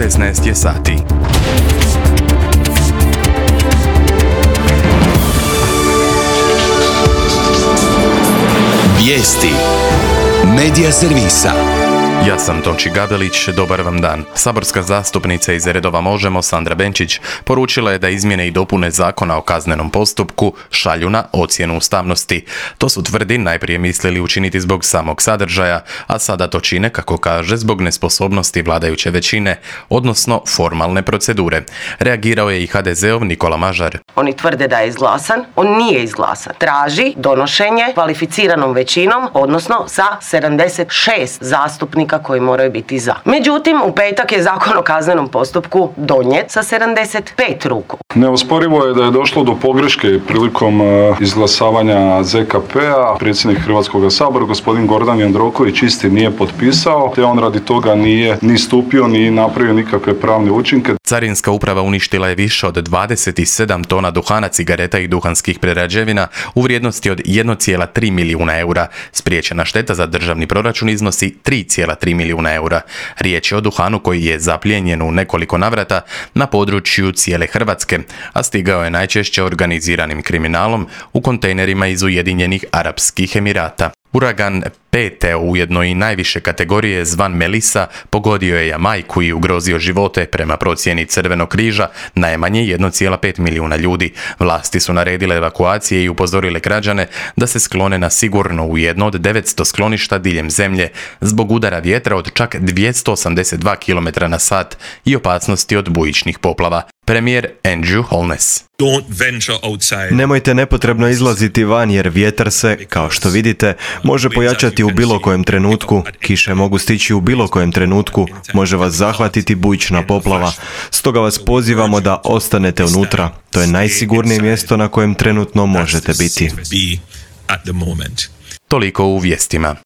16 je sati. Vijesti Medija servisa. Ja sam Tonči Gabelić, dobar vam dan. Saborska zastupnica iz redova Možemo, Sandra Benčić, poručila je da izmjene i dopune Zakona o kaznenom postupku šalju na ocjenu ustavnosti. To su, tvrdi, najprije mislili učiniti zbog samog sadržaja, a sada to čine, kako kaže, zbog nesposobnosti vladajuće većine, odnosno formalne procedure. Reagirao je i HDZ-ov Nikola Mažar. Oni tvrde da je izglasan, on nije izglasan. Traži donošenje kvalificiranom većinom, odnosno sa 76 zastupnika koji moraju biti za. Međutim, u petak je Zakon o kaznenom postupku donijet sa 75 ruku. Neosporivo je da je došlo do pogreške prilikom izglasavanja ZKP-a. Predsjednik Hrvatskog sabora, gospodin Gordan Jandroković, isti nije potpisao, te on radi toga nije ni stupio, ni napravio nikakve pravne učinke. Carinska uprava uništila je više od 27 tona duhana, cigareta i duhanskih prerađevina u vrijednosti od 1,3 milijuna eura. Spriječena šteta za državni proračun iznosi 3,3 milijuna eura. Riječ je o duhanu koji je zaplijenjen u nekoliko navrata na području cijele Hrvatske, a stigao je najčešće organiziranim kriminalom u kontejnerima iz Ujedinjenih Arapskih Emirata. Uragan pete, ujedno i najviše kategorije, zvan Melissa, pogodio je Jamajku i ugrozio živote, prema procjeni Crvenog križa, najmanje 1,5 milijuna ljudi. Vlasti su naredile evakuacije i upozorile građane da se sklone na sigurno u jedno od 900 skloništa diljem zemlje zbog udara vjetra od čak 282 km/h i opasnosti od bujičnih poplava. Premijer Andrew Holness. Nemojte nepotrebno izlaziti van jer vjetar se, kao što vidite, može pojačati u bilo kojem trenutku, kiše mogu stići u bilo kojem trenutku, može vas zahvatiti bujična poplava. Stoga vas pozivamo da ostanete unutra. To je najsigurnije mjesto na kojem trenutno možete biti. Toliko u vijestima.